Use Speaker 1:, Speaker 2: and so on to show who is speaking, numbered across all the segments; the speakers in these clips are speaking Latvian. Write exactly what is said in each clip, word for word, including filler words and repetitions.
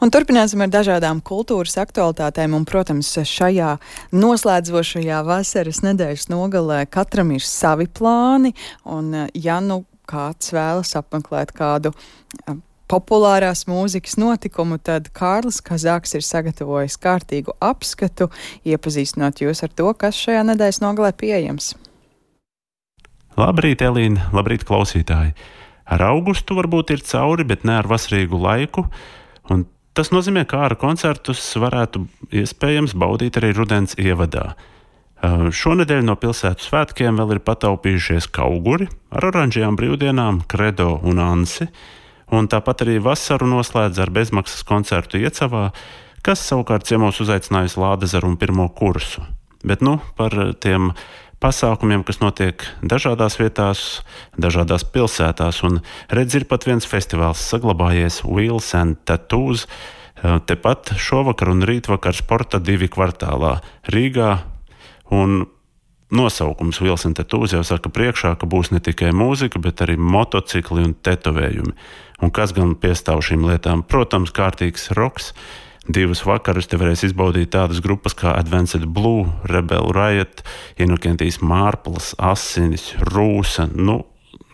Speaker 1: Un turpināsim ar dažādām kultūras aktualitātēm, un, protams, šajā noslēdzošajā vasaras nedēļas nogalē katram ir savi plāni, un ja nu kāds vēlas apmeklēt kādu populārās mūzikas notikumu, tad Kārlis Kazāks ir sagatavojis kārtīgu apskatu, iepazīstinot jūs ar to, kas šajā nedēļas nogalē pieejams.
Speaker 2: Labrīt, Elīna, labrīt, klausītāji! Ar augustu varbūt ir cauri, bet ne ar vasarīgu laiku, un tas nozīmē, ka ārā koncertus varētu iespējams baudīt arī rudens ievadā. Šonedēļ no pilsētu svētkiem vēl ir pataupījušies Kauguri ar oranžajām brīvdienām, Kredo un Ansi, un tāpat arī vasaru noslēdz ar bezmaksas koncertu Iecavā, kas savukārt ciemos uzaicinājusi Lādezaru un pirmo kursu. Bet nu par tiem pasākumiem, kas notiek dažādās vietās, dažādās pilsētās, un redz ir pat viens festivāls saglabājies Wheels and Tattoos, tepat šovakar un rītvakar Sporta divi kvartālā Rīgā, un nosaukums Wheels and Tattoos jau saka priekšā, ka būs ne tikai mūzika, bet arī motocikli un tetovējumi. Un kas gan piestāv šīm lietām? Protams, kārtīgs roks. Divus vakarus te varēs izbaudīt tādas grupas kā Advanced Blue, Rebel Riot, Inokentijas Mārplas, Asinis, Rūsa. Nu,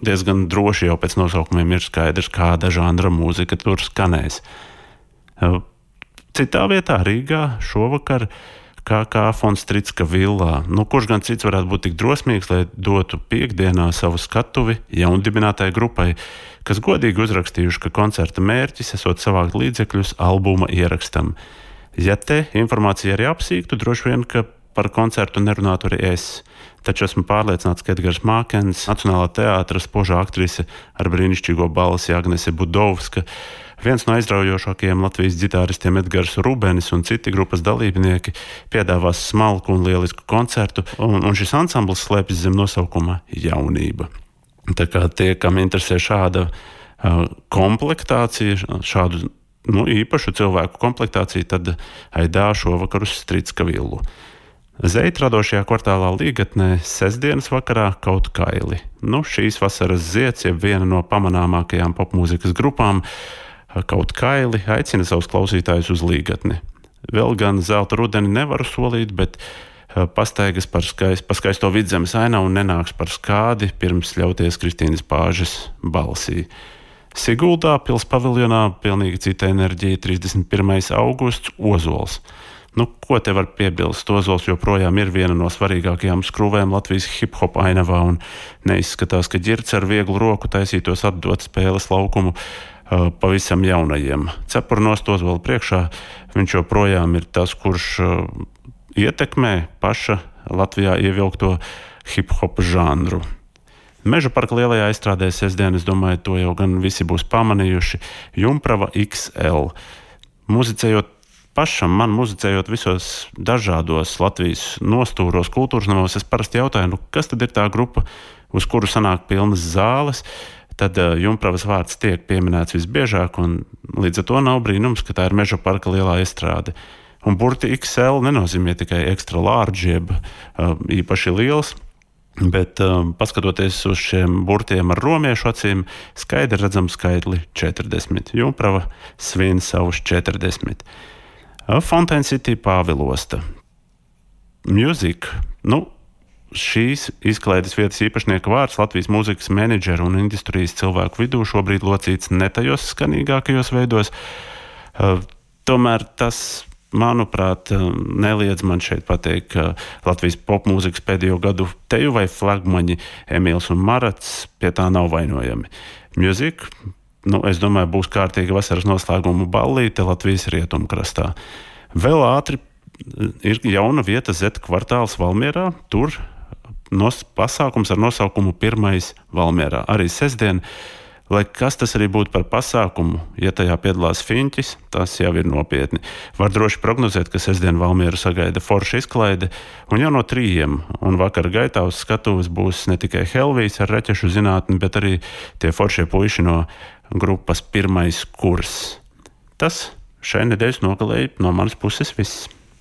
Speaker 2: diezgan droši jau pēc nosaukumiem ir skaidrs, kāda žanra mūzika tur skanēs. Citā vietā Rīgā šovakar K K von Stritska villā. Nu, kurš gan cits varētu būt tik drosmīgs, lai dotu piekdienā savu skatuvi jaundibinātai grupai, kas godīgi uzrakstījuši, ka koncerta mērķis esot savākt līdzekļus albuma ierakstam. Ja te informācija arī apsīktu, droši vien, ka par koncertu nerunātu arī es. Taču esmu pārliecināts, ka Edgars Mākens, Nacionālā teātra spožā aktrise ar brīnišķīgo balsi Agnese Budovska, viens no aizraujošākajiem Latvijas ģitāristiem Edgars Rubenis un citi grupas dalībnieki piedāvās smalku un lielisku koncertu, un, un šis ansamblis slēpjas zem nosaukuma Jaunība. Tā kā tie, kam interesē šāda uh, komplektācija, šādu nu, īpašu cilvēku komplektāciju, tad aidā šovakar uz Stritska villu. Zeit radošajā kvartālā Līgatnē sestdienas vakarā Kaut kaili. Nu, šīs vasaras zieds, jeb viena no pamanāmākajām popmūzikas grupām, Kaut kaili aicina savus klausītājus uz Līgatni. Vēl gan zelta rudeni nevaru solīt, bet pastaigas par skaist, pa skaisto Vidzemes ainavu nenāks par skādi pirms ļauties Kristīnas Pāžes balsī. Siguldā pils paviljonā pilnīgi cita enerģija, trīsdesmit pirmais augusts, Ozols. Nu, ko te var piebilst? Ozols joprojām ir viena no svarīgākajām skrūvēm Latvijas hip-hop ainavā, un neizskatās, ka ģirds ar vieglu roku taisītos atdot spēles laukumu uh, pavisam jaunajiem. Cepur nost Ozola priekšā, viņš joprojām ir tas, kurš uh, ietekmē paša Latvijā ievilkto hip-hop žanru. Meža parka lielajā aizstrādē sestdien, es domāju, to jau gan visi būs pamanījuši, Jumprava X L. Muzicējot pašam, man muzicējot visos dažādos Latvijas nostūros, kultūras namos, es parasti jautāju, nu, kas tad ir tā grupa, uz kuru sanāk pilnas zāles, tad uh, Jumpravas vārds tiek pieminēts visbiežāk, un līdz ar to nav brīnums, ka tā ir Meža parka lielā aizstrāde. Un burti X L nenozīmē tikai extra large, jeb uh, īpaši liels, bet uh, paskatoties uz šiem burtiem ar romiešu acīm, skaidri redzam skaitli četrdesmit. Jumprava svin savus četrdesmit. Fountain City Pāvilosta. Music. Nu, šīs izklaides vietas īpašnieka vārds Latvijas mūzikas menedžeru un industrijas cilvēku vidū šobrīd locīts ne tajos skanīgākajos veidos. Uh, tomēr tas, manuprāt, neliedz man šeit pateikt, ka Latvijas popmūzikas pēdējo gadu teju vai flagmaņi Emīls un Marats pie tā nav vainojami. Music, nu, es domāju, būs kārtīga vasaras noslēguma ballīte Latvijas rietumkrastā. Vēl ātri ir jauna vieta Z kvartāls Valmierā, tur nos, pasākums ar nosaukumu Pirmais Valmierā. Arī sestdien, lai kas tas arī būtu par pasākumu, ja tajā piedalās Fiņķis, tas jau ir nopietni. Var droši prognozēt, ka sestdien Valmieru sagaida forša izklaide, un jau no trījiem, un vakar gaitā uz skatuves būs ne tikai Helvijs ar reķešu zinātni, bet arī tie foršie puiši no grupas Pirmais kurs. Tas šai nedēļas nogalēji no manas puses viss.